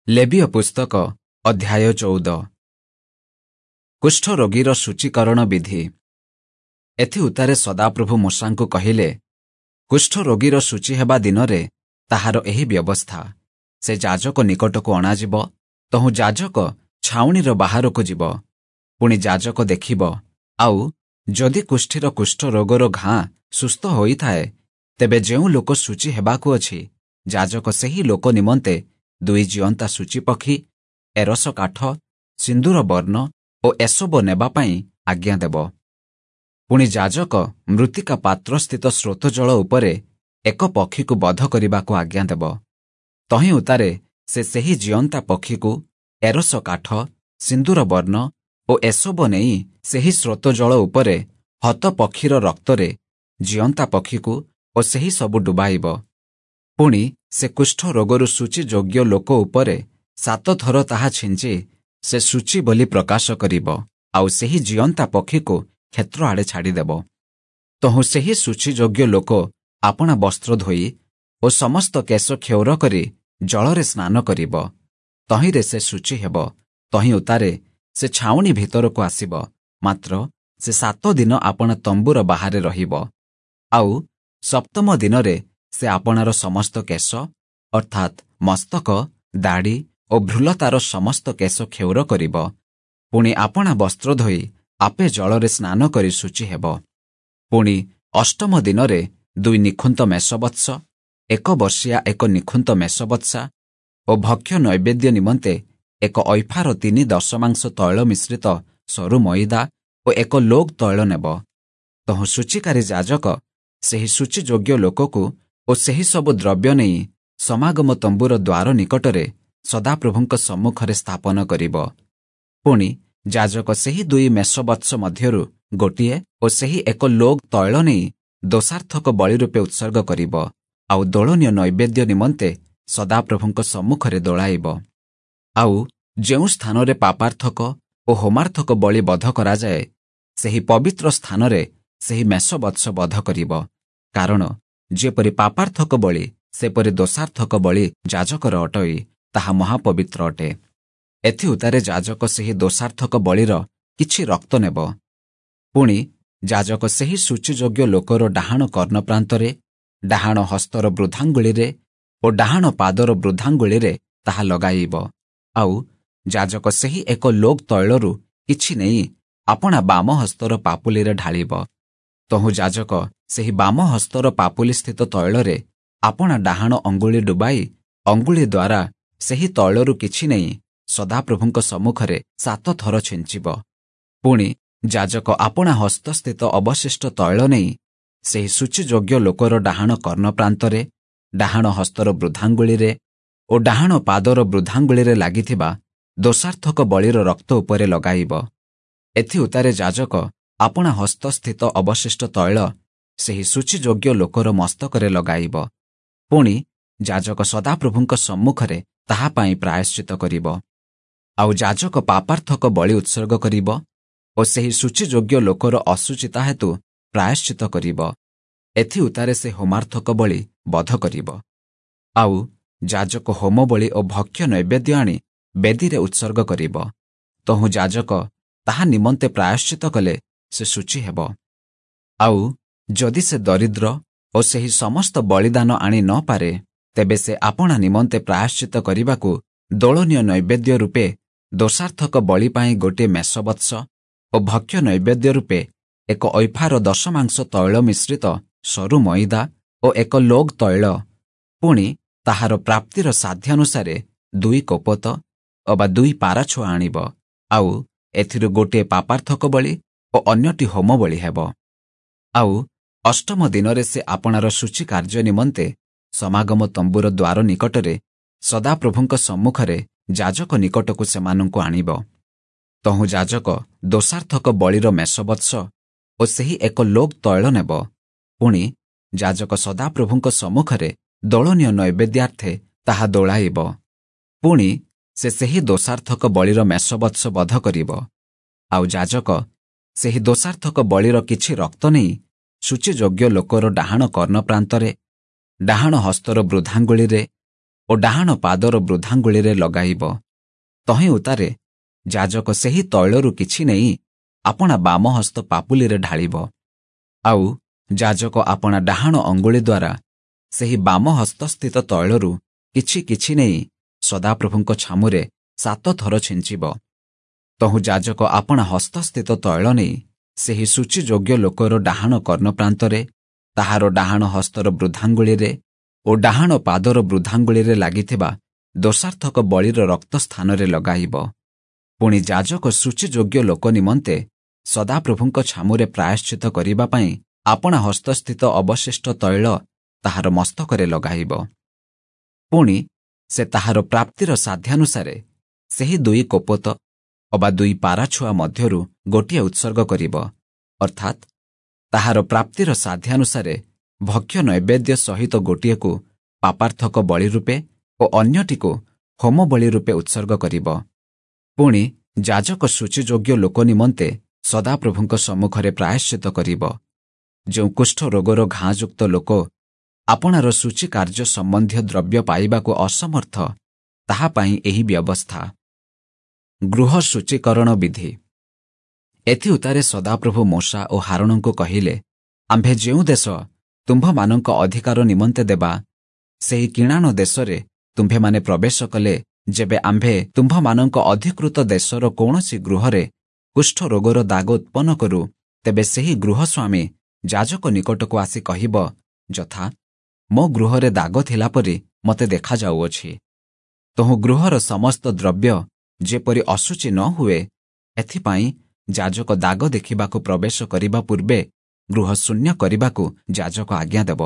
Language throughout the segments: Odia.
ଲେବୀୟ ପୁସ୍ତକ ଅଧ୍ୟାୟ 14। କୁଷ୍ଠରୋଗୀର ସୂଚୀକରଣ ବିଧି। ଏଥିଉତ୍ତାରେ ସଦାପ୍ରଭୁ ମୋଶାଙ୍କୁ କହିଲେ, କୁଷ୍ଠରୋଗୀର ସୂଚୀ ହେବା ଦିନରେ ତାହାର ଏହି ବ୍ୟବସ୍ଥା। ସେ ଯାଜକ ନିକଟକୁ ଅଣାଯିବ, ତହୁଁ ଯାଜକ ଛାଉଣିର ବାହାରକୁ ଯିବ। ପୁଣି ଯାଜକ ଦେଖିବ, ଆଉ ଯଦି କୁଷ୍ଠିର କୁଷ୍ଠରୋଗର ଘାଁ ସୁସ୍ଥ ହୋଇଥାଏ, ତେବେ ଯେଉଁ ଲୋକ ସୂଚୀ ହେବାକୁ ଅଛି, ଯାଜକ ସେହି ଲୋକ ନିମନ୍ତେ ଦୁଇ ଜିଅନ୍ତା ସୂଚୀପକ୍ଷୀ, ଏରସ କାଠ, ସିନ୍ଦୁର ବର୍ଣ୍ଣ ଓ ଏସବ ନେବା ପାଇଁ ଆଜ୍ଞା ଦେବ। ପୁଣି ଯାଜକ ମୃତ୍ତିକା ପାତ୍ରସ୍ଥିତ ସ୍ରୋତ ଜଳ ଉପରେ ଏକ ପକ୍ଷୀକୁ ବଧ କରିବାକୁ ଆଜ୍ଞା ଦେବ। ତହିଁ ଉତ୍ତାରେ ସେ ସେହି ଜିଅନ୍ତା ପକ୍ଷୀକୁ ଏରସ କାଠ, ସିନ୍ଦୁର ବର୍ଣ୍ଣ ଓ ଏସବ ନେଇ ସେହି ସ୍ରୋତ ଜଳ ଉପରେ ହତ ପକ୍ଷୀର ରକ୍ତରେ ଜିଅନ୍ତା ପକ୍ଷୀକୁ ଓ ସେହି ସବୁ ଡୁବାଇବ। ପୁଣି ସେ କୁଷ୍ଠ ରୋଗରୁ ସୂଚୀ ଯୋଗ୍ୟ ଲୋକ ଉପରେ 7 ଥର ତାହା ଛିଞ୍ଚି ସେ ସୂଚୀ ବୋଲି ପ୍ରକାଶ କରିବ, ଆଉ ସେହି ଜିଅନ୍ତା ପକ୍ଷୀକୁ କ୍ଷେତ୍ର ଆଡ଼େ ଛାଡ଼ିଦେବ। ତହୁଁ ସେହି ସୂଚୀଯୋଗ୍ୟ ଲୋକ ଆପଣା ବସ୍ତ୍ର ଧୋଇ ଓ ସମସ୍ତ କେଶ କ୍ଷୌର କରି ଜଳରେ ସ୍ନାନ କରିବ। ତହିଁରେ ସେ ସୂଚୀ ହେବ। ତହିଁ ଉତ୍ତାରେ ସେ ଛାଉଣି ଭିତରକୁ ଆସିବ, ମାତ୍ର ସେ 7 ଦିନ ଆପଣା ତମ୍ବୁର ବାହାରେ ରହିବ। ଆଉ ସପ୍ତମ ଦିନରେ ସେ ଆପଣାର ସମସ୍ତ କେଶ, ଅର୍ଥାତ୍ ମସ୍ତକ, ଦାଢ଼ି ଓ ଭ୍ରୂଲତାର ସମସ୍ତ କେଶ କ୍ଷୌର କରିବ। ପୁଣି ଆପଣା ବସ୍ତ୍ର ଧୋଇ ଆପେ ଜଳରେ ସ୍ନାନ କରି ଶୁଚି ହେବ। ପୁଣି ଅଷ୍ଟମ ଦିନରେ 2 ନିଖୁନ୍ତ ମେଷବତ୍ସ, 1 ବର୍ଷିଆ ଏକ ନିଖୁନ୍ତ ମେଷବତ୍ସା ଓ ଭକ୍ଷ୍ୟ ନୈବେଦ୍ୟ ନିମନ୍ତେ ଏକ ଐଫାର 3/10 ତୈଳ ମିଶ୍ରିତ ସରୁ ମଇଦା ଓ ଏକ ଲୋଗ ତୈଳ ନେବ। ତହୁଁ ସୂଚୀକାରୀ ଯାଜକ ସେହି ସୂଚୀଯୋଗ୍ୟ ଲୋକକୁ ଓ ସେହି ସବୁ ଦ୍ରବ୍ୟ ନେଇ ସମାଗମ ତମ୍ବୁର ଦ୍ୱାର ନିକଟରେ ସଦାପ୍ରଭୁଙ୍କ ସମ୍ମୁଖରେ ସ୍ଥାପନ କରିବ। ପୁଣି ଯାଜକ ସେହି 2 ମେଷବତ୍ସ ମଧ୍ୟରୁ ଗୋଟିଏ ଓ ସେହି ଏକ ଲୋଗ ତୈଳ ନେଇ ଦୋଷାର୍ଥକ ବଳି ରୂପେ ଉତ୍ସର୍ଗ କରିବ, ଆଉ ଦୋଳନୀୟ ନୈବେଦ୍ୟ ନିମନ୍ତେ ସଦାପ୍ରଭୁଙ୍କ ସମ୍ମୁଖରେ ଦୋଳାଇବ। ଆଉ ଯେଉଁ ସ୍ଥାନରେ ପାପାର୍ଥକ ଓ ହୋମାର୍ଥକ ବଳି ବଧ କରାଯାଏ, ସେହି ପବିତ୍ର ସ୍ଥାନରେ ସେହି ମେଷବତ୍ସ ବଧ କରିବ। କାରଣ ଯେପରି ପାପାର୍ଥକ ବଳି, ସେପରି ଦୋଷାର୍ଥକ ବଳି ଯାଜକର ଅଟଇ, ତାହା ମହାପବିତ୍ର ଅଟେ। ଏଥିଉତ୍ତାରେ ଯାଜକ ସେହି ଦୋଷାର୍ଥକ ବଳିର କିଛି ରକ୍ତ ନେବ। ପୁଣି ଯାଜକ ସେହି ସୂଚୀଯୋଗ୍ୟ ଲୋକର ଡାହାଣ କର୍ଣ୍ଣ ପ୍ରାନ୍ତରେ, ଡାହାଣ ହସ୍ତର ବୃଦ୍ଧାଙ୍ଗୁଳିରେ ଓ ଡାହାଣ ପାଦର ବୃଦ୍ଧାଙ୍ଗୁଳିରେ ତାହା ଲଗାଇବ। ଆଉ ଯାଜକ ସେହି ଏକ ଲୋଗ ତୈଳରୁ କିଛି ନେଇ ଆପଣା ବାମ ହସ୍ତର ପାପୁଲିରେ ଢାଳିବ। ତହୁଁ ଯାଜକ ସେହି ବାମ ହସ୍ତର ପାପୁଲିସ୍ଥିତ ତୈଳରେ ଆପଣା ଡାହାଣ ଅଙ୍ଗୁଳି ଡୁବାଇ ଅଙ୍ଗୁଳି ଦ୍ୱାରା ସେହି ତୈଳରୁ କିଛି ନେଇ ସଦାପ୍ରଭୁଙ୍କ ସମ୍ମୁଖରେ 7 ଥର ଛିଞ୍ଚିବ। ପୁଣି ଯାଜକ ଆପଣା ହସ୍ତସ୍ଥିତ ଅବଶିଷ୍ଟ ତୈଳ ନେଇ ସେହି ସୂଚୀଯୋଗ୍ୟ ଲୋକର ଡାହାଣ କର୍ଣ୍ଣ ପ୍ରାନ୍ତରେ, ଡାହାଣ ହସ୍ତର ବୃଦ୍ଧାଙ୍ଗୁଳିରେ ଓ ଡାହାଣ ପାଦର ବୃଦ୍ଧାଙ୍ଗୁଳିରେ ଲାଗିଥିବା ଦୋଷାର୍ଥକ ବଳିର ରକ୍ତ ଉପରେ ଲଗାଇବ। ଏଥିଉତ୍ତାରେ ଯାଜକ ଆପଣା ହସ୍ତସ୍ଥିତ ଅବଶିଷ୍ଟ ତୈଳ ସେହି ସୂଚୀଯୋଗ୍ୟ ଲୋକର ମସ୍ତକରେ ଲଗାଇବ। ପୁଣି ଯାଜକ ସଦାପ୍ରଭୁଙ୍କ ସମ୍ମୁଖରେ ତାହା ପାଇଁ ପ୍ରାୟଶ୍ଚିତ କରିବ। ଆଉ ଯାଜକ ପାପାର୍ଥକ ବଳି ଉତ୍ସର୍ଗ କରିବ ଓ ସେହି ସୂଚୀଯୋଗ୍ୟ ଲୋକର ଅଶୁଚିତା ହେତୁ ପ୍ରାୟଶ୍ଚିତ କରିବ। ଏଥିଉତ୍ତାରେ ସେ ହୋମାର୍ଥକ ବଳି ବଧ କରିବ। ଆଉ ଯାଜକ ହୋମ ବଳି ଓ ଭକ୍ଷ୍ୟ ନୈବେଦ୍ୟ ଆଣି ବେଦୀରେ ଉତ୍ସର୍ଗ କରିବ। ତହୁଁ ଯାଜକ ତାହା ନିମନ୍ତେ ପ୍ରାୟଶ୍ଚିତ କଲେ ସେ ଶୁଚି ହେବ। ଆଉ ଯଦି ସେ ଦରିଦ୍ର ଓ ସେହି ସମସ୍ତ ବଳିଦାନ ଆଣି ନ ପାରେ, ତେବେ ସେ ଆପଣା ନିମନ୍ତେ ପ୍ରାୟଶ୍ଚିତ କରିବାକୁ ଦୋଳନୀୟ ନୈବେଦ୍ୟ ରୂପେ ଦୋଷାର୍ଥକ ବଳି ପାଇଁ ଗୋଟିଏ ମେଷବତ୍ସ ଓ ଭକ୍ଷ୍ୟ ନୈବେଦ୍ୟ ରୂପେ ଏକ ଐଫାର 10 ତୈଳ ମିଶ୍ରିତ ସରୁ ମଇଦା ଓ ଏକ ଲୋଗ ତୈଳ, ପୁଣି ତାହାର ପ୍ରାପ୍ତିର ସାଧ୍ୟାନୁସାରେ 2 କୋପତ ଅବା 2 ପାରାଛୁଆ ଆଣିବ। ଆଉ ଏଥିରୁ ଗୋଟିଏ ପାପାର୍ଥକ ବଳି ଓ ଅନ୍ୟଟି ହୋମ ବଳି ହେବ। ଆଉ ଅଷ୍ଟମ ଦିନରେ ସେ ଆପଣାର ସୂଚୀ କାର୍ଯ୍ୟ ନିମନ୍ତେ ସମାଗମ ତମ୍ବୁର ଦ୍ୱାର ନିକଟରେ ସଦାପ୍ରଭୁଙ୍କ ସମ୍ମୁଖରେ ଯାଜକ ନିକଟକୁ ସେମାନଙ୍କୁ ଆଣିବ। ତହୁଁ ଯାଜକ ଦୋଷାର୍ଥକ ବଳିର ମେଷବତ୍ସ ଓ ସେହି ଏକ ଲୋଗ ତୈଳ ନେବ। ପୁଣି ଯାଜକ ସଦାପ୍ରଭୁଙ୍କ ସମ୍ମୁଖରେ ଦୋଳନୀୟ ନୈବେଦ୍ୟାର୍ଥେ ତାହା ଦୋଳାଇବ। ପୁଣି ସେ ସେହି ଦୋଷାର୍ଥକ ବଳିର ମେଷବତ୍ସ ବଧ କରିବ। ଆଉ ଯାଜକ ସେହି ଦୋଷାର୍ଥକ ବଳିର କିଛି ରକ୍ତ ନେଇ ସୂଚୀଯୋଗ୍ୟ ଲୋକର ଡାହାଣ କର୍ଣ୍ଣ ପ୍ରାନ୍ତରେ, ଡାହାଣ ହସ୍ତର ବୃଦ୍ଧାଙ୍ଗୁଳିରେ ଓ ଡାହାଣ ପାଦର ବୃଦ୍ଧାଙ୍ଗୁଳିରେ ଲଗାଇବ। ତହିଁ ଉତ୍ତାରେ ଯାଜକ ସେହି ତୈଳରୁ କିଛି ନେଇ ଆପଣା ବାମ ହସ୍ତ ପାପୁଲିରେ ଢାଳିବ। ଆଉ ଯାଜକ ଆପଣା ଡାହାଣ ଅଙ୍ଗୁଳି ଦ୍ୱାରା ସେହି ବାମ ହସ୍ତସ୍ଥିତ ତୈଳରୁ କିଛି କିଛି ନେଇ ସଦାପ୍ରଭୁଙ୍କ ଛାମୁରେ 7 ଥର ଛିଞ୍ଚିବ। ତହୁଁ ଯାଜକ ଆପଣା ହସ୍ତସ୍ଥିତ ତୈଳ ନେଇ ସେହି ସୂଚୀଯୋଗ୍ୟ ଲୋକର ଡାହାଣ କର୍ଣ୍ଣପ୍ରାନ୍ତରେ, ତାହାର ଡାହାଣ ହସ୍ତର ବୃଦ୍ଧାଙ୍ଗୁଳିରେ ଓ ଡାହାଣ ପାଦର ବୃଦ୍ଧାଙ୍ଗୁଳିରେ ଲାଗିଥିବା ଦୋଷାର୍ଥକ ବଳିର ରକ୍ତ ସ୍ଥାନରେ ଲଗାଇବ। ପୁଣି ଯାଜକ ସୂଚୀଯୋଗ୍ୟ ଲୋକ ନିମନ୍ତେ ସଦାପ୍ରଭୁଙ୍କ ଛାମୁରେ ପ୍ରାୟଶ୍ଚିତ କରିବା ପାଇଁ ଆପଣା ହସ୍ତସ୍ଥିତ ଅବଶିଷ୍ଟ ତୈଳ ତାହାର ମସ୍ତକରେ ଲଗାଇବ। ପୁଣି ସେ ତାହାର ପ୍ରାପ୍ତିର ସାଧ୍ୟାନୁସାରେ ସେହି 2 କୋପତ ଅବା 2 ପାରାଛୁଆ ମଧ୍ୟରୁ ଗୋଟିଏ ଉତ୍ସର୍ଗ କରିବ, ଅର୍ଥାତ୍ ତାହାର ପ୍ରାପ୍ତିର ସାଧ୍ୟାନୁସାରେ ଭକ୍ଷ୍ୟ ନୈବେଦ୍ୟ ସହିତ ଗୋଟିଏକୁ ପାପାର୍ଥକ ବଳି ରୂପେ ଓ ଅନ୍ୟଟିକୁ ହୋମ ବଳି ରୂପେ ଉତ୍ସର୍ଗ କରିବ। ପୁଣି ଯାଜକ ସୂଚୀଯୋଗ୍ୟ ଲୋକ ନିମନ୍ତେ ସଦାପ୍ରଭୁଙ୍କ ସମ୍ମୁଖରେ ପ୍ରାୟଶ୍ଚିତ କରିବ। ଯେଉଁ କୁଷ୍ଠ ରୋଗର ଘାଁଯୁକ୍ତ ଲୋକ ଆପଣାର ସୂଚୀ କାର୍ଯ୍ୟ ସମ୍ବନ୍ଧୀୟ ଦ୍ରବ୍ୟ ପାଇବାକୁ ଅସମର୍ଥ, ତାହା ପାଇଁ ଏହି ବ୍ୟବସ୍ଥା। ଗୃହ ସୂଚୀକରଣ ବିଧି। ଏଥିଉତ୍ତାରେ ସଦାପ୍ରଭୁ ମୋଶା ଓ ହାରଣଙ୍କୁ କହିଲେ, ଆମ୍ଭେ ଯେଉଁ ଦେଶ ତୁମ୍ଭମାନଙ୍କ ଅଧିକାର ନିମନ୍ତେ ଦେବା, ସେହି କିଣାଣ ଦେଶରେ ତୁମ୍ଭେମାନେ ପ୍ରବେଶ କଲେ, ଯେବେ ଆମ୍ଭେ ତୁମ୍ଭମାନଙ୍କ ଅଧିକୃତ ଦେଶର କୌଣସି ଗୃହରେ କୁଷ୍ଠ ରୋଗର ଦାଗ ଉତ୍ପନ୍ନ କରୁ, ତେବେ ସେହି ଗୃହସ୍ୱାମୀ ଯାଜକ ନିକଟକୁ ଆସି କହିବ, ଯଥା ମୋ ଗୃହରେ ଦାଗ ଥିଲା ପରି ମୋତେ ଦେଖାଯାଉଅଛି। ତହୁଁ ଗୃହର ସମସ୍ତ ଦ୍ରବ୍ୟ ଯେପରି ଅଶୁଚି ନ ହୁଏ, ଏଥିପାଇଁ ଯାଜକ ଦାଗ ଦେଖିବାକୁ ପ୍ରବେଶ କରିବା ପୂର୍ବେ ଗୃହ ଶୂନ୍ୟ କରିବାକୁ ଯାଜକ ଆଜ୍ଞା ଦେବ।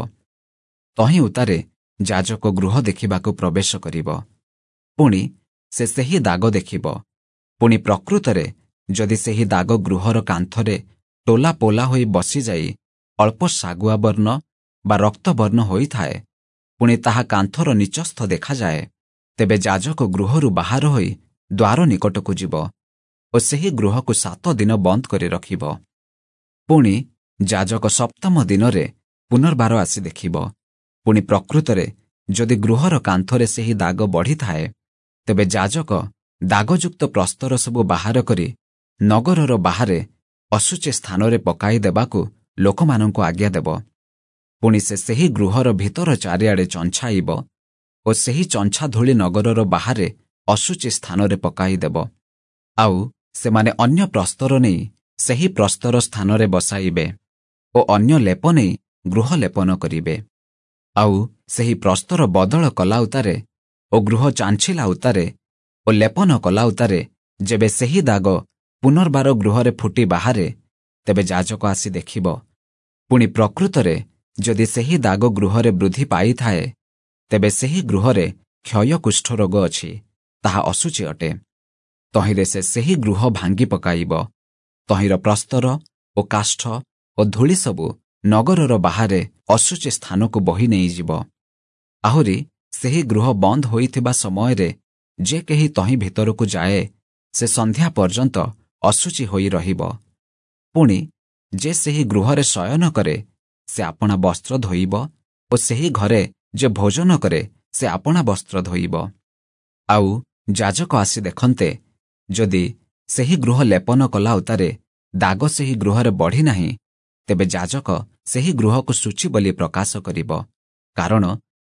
ତହିଁ ଉତ୍ତାରେ ଯାଜକ ଗୃହ ଦେଖିବାକୁ ପ୍ରବେଶ କରିବ। ପୁଣି ସେ ସେହି ଦାଗ ଦେଖିବ। ପୁଣି ପ୍ରକୃତରେ ଯଦି ସେହି ଦାଗ ଗୃହର କାନ୍ଥରେ ଟୋଲା ପୋଲା ହୋଇ ବସିଯାଇ ଅଳ୍ପ ଶାଗୁଆ ବର୍ଣ୍ଣ ବା ରକ୍ତବର୍ଣ୍ଣ ହୋଇଥାଏ, ପୁଣି ତାହା କାନ୍ଥର ନିଚସ୍ଥ ଦେଖାଯାଏ, ତେବେ ଯାଜକ ଗୃହରୁ ବାହାର ହୋଇ ଦ୍ୱାର ନିକଟକୁ ଯିବ ଓ ସେହି ଗୃହକୁ 7 ଦିନ ବନ୍ଦ କରି ରଖିବ। ପୁଣି ଯାଜକ ସପ୍ତମ ଦିନରେ ପୁନର୍ବାର ଆସି ଦେଖିବ। ପୁଣି ପ୍ରକୃତରେ ଯଦି ଗୃହର କାନ୍ଥରେ ସେହି ଦାଗ ବଢ଼ିଥାଏ, ତେବେ ଯାଜକ ଦାଗଯୁକ୍ତ ପ୍ରସ୍ତର ସବୁ ବାହାର କରି ନଗରର ବାହାରେ ଅଶୁଚି ସ୍ଥାନରେ ପକାଇ ଦେବାକୁ ଲୋକମାନଙ୍କୁ ଆଜ୍ଞା ଦେବ। ପୁଣି ସେ ସେହି ଗୃହର ଭିତର ଚାରିଆଡ଼େ ଚଞ୍ଛାଇବ ଓ ସେହି ଚଞ୍ଛା ଧୂଳି ନଗରର ବାହାରେ ଅଶୁଚି ସ୍ଥାନରେ ପକାଇଦେବ। ଆଉ ସେମାନେ ଅନ୍ୟ ପ୍ରସ୍ତର ନେଇ ସେହି ପ୍ରସ୍ତର ସ୍ଥାନରେ ବସାଇବେ ଓ ଅନ୍ୟ ଲେପ ନେଇ ଗୃହ ଲେପନ କରିବେ। ଆଉ ସେହି ପ୍ରସ୍ତର ବଦଳ କଲା ଉତ୍ତାରେ ଓ ଗୃହ ଚାଞ୍ଛିଲା ଉତ୍ତାରେ ଓ ଲେପନ କଲା ଉତ୍ତାରେ ଯେବେ ସେହି ଦାଗ ପୁନର୍ବାର ଗୃହରେ ଫୁଟି ବାହାରେ, ତେବେ ଯାଜକ ଆସି ଦେଖିବ। ପୁଣି ପ୍ରକୃତରେ ଯଦି ସେହି ଦାଗ ଗୃହରେ ବୃଦ୍ଧି ପାଇଥାଏ, ତେବେ ସେହି ଗୃହରେ କ୍ଷୟ କୁଷ୍ଠରୋଗ ଅଛି, ତାହା ଅଶୁଚି ଅଟେ। ତହିଁରେ ସେ ସେହି ଗୃହ ଭାଙ୍ଗି ପକାଇବ। ତହିଁର ପ୍ରସ୍ତର ଓ କାଷ୍ଠ ଓ ଧୂଳି ସବୁ ନଗରର ବାହାରେ ଅଶୁଚି ସ୍ଥାନକୁ ବହି ନେଇଯିବ। ଆହୁରି ସେହି ଗୃହ ବନ୍ଦ ହୋଇଥିବା ସମୟରେ ଯେ କେହି ତହିଁ ଭିତରକୁ ଯାଏ, ସେ ସନ୍ଧ୍ୟା ପର୍ଯ୍ୟନ୍ତ ଅଶୁଚି ହୋଇ ରହିବ। ପୁଣି ଯେ ସେହି ଗୃହରେ ଶୟନ କରେ, ସେ ଆପଣା ବସ୍ତ୍ର ଧୋଇବ ଓ ସେହି ଘରେ ଯେ ଭୋଜନ କରେ, ସେ ଆପଣା ବସ୍ତ୍ର ଧୋଇବ। ଆଉ ଯାଜକ ଆସି ଦେଖନ୍ତେ, ଯଦି ସେହି ଗୃହ ଲେପନ କଲା ଉତ୍ତାରେ ଦାଗ ସେହି ଗୃହରେ ବଢ଼ି ନାହିଁ, ତେବେ ଯାଜକ ସେହି ଗୃହକୁ ଶୁଚି ବୋଲି ପ୍ରକାଶ କରିବ, କାରଣ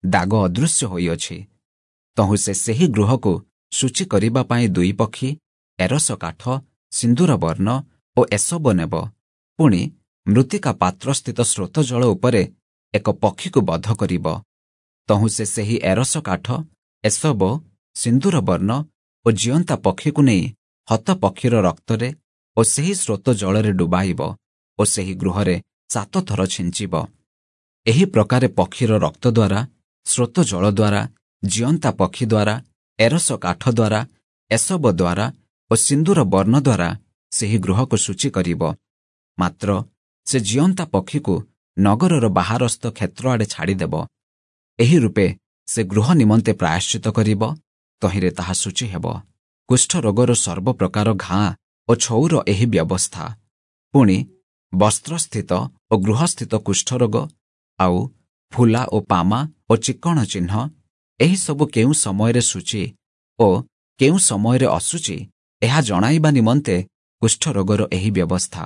ଦାଗ ଅଦୃଶ୍ୟ ହୋଇଅଛି। ତହୁଁ ସେ ସେହି ଗୃହକୁ ଶୁଚି କରିବା ପାଇଁ 2 ପକ୍ଷୀ, ଏରସ କାଠ, ସିନ୍ଦୁର ବର୍ଣ୍ଣ ଓ ଏସବ ନେବ। ପୁଣି ମୃତ୍ତିକା ପାତ୍ରସ୍ଥିତ ସ୍ରୋତ ଜଳ ଉପରେ ଏକ ପକ୍ଷୀକୁ ବଧ କରିବ। ତହୁଁ ସେ ସେହି ଏରସ କାଠ, ଏସବ, ସିନ୍ଦୁର ବର୍ଣ୍ଣ ଓ ଜିଅନ୍ତା ପକ୍ଷୀକୁ ନେଇ ହତ ପକ୍ଷୀର ରକ୍ତରେ ଓ ସେହି ସ୍ରୋତ ଜଳରେ ଡୁବାଇବ ଓ ସେହି ଗୃହରେ 7 ଥର ଛିଞ୍ଚିବ। ଏହି ପ୍ରକାରେ ପକ୍ଷୀର ରକ୍ତ ଦ୍ୱାରା, ସ୍ରୋତ ଜଳ ଦ୍ୱାରା, ଜିଅନ୍ତା ପକ୍ଷୀ ଦ୍ୱାରା, ଏରସ କାଠ ଦ୍ୱାରା, ଏସବ ଦ୍ୱାରା ଓ ସିନ୍ଦୁର ବର୍ଣ୍ଣ ଦ୍ୱାରା ସେହି ଗୃହକୁ ଶୁଚି କରିବ। ମାତ୍ର ସେ ଜିଅନ୍ତା ପକ୍ଷୀକୁ ନଗରର ବାହାରସ୍ଥ କ୍ଷେତ୍ର ଆଡ଼େ ଛାଡ଼ିଦେବ। ଏହି ରୂପେ ସେ ଗୃହ ନିମନ୍ତେ ପ୍ରାୟଶ୍ଚିତ କରିବ, ତହିଁରେ ତାହା ଶୁଚି ହେବ। କୁଷ୍ଠରୋଗର ସର୍ବପ୍ରକାର ଘାଁ ଓ ଛଉର ଏହି ବ୍ୟବସ୍ଥା। ପୁଣି ବସ୍ତ୍ରସ୍ଥିତ ଓ ଗୃହସ୍ଥିତ କୁଷ୍ଠରୋଗ, ଆଉ ଫୁଲା ଓ ପାମା ଓ ଚିକ୍କଣ ଚିହ୍ନ, ଏହିସବୁ କେଉଁ ସମୟରେ ଶୁଚି ଓ କେଉଁ ସମୟରେ ଅଶୁଚି, ଏହା ଜଣାଇବା ନିମନ୍ତେ କୁଷ୍ଠରୋଗର ଏହି ବ୍ୟବସ୍ଥା।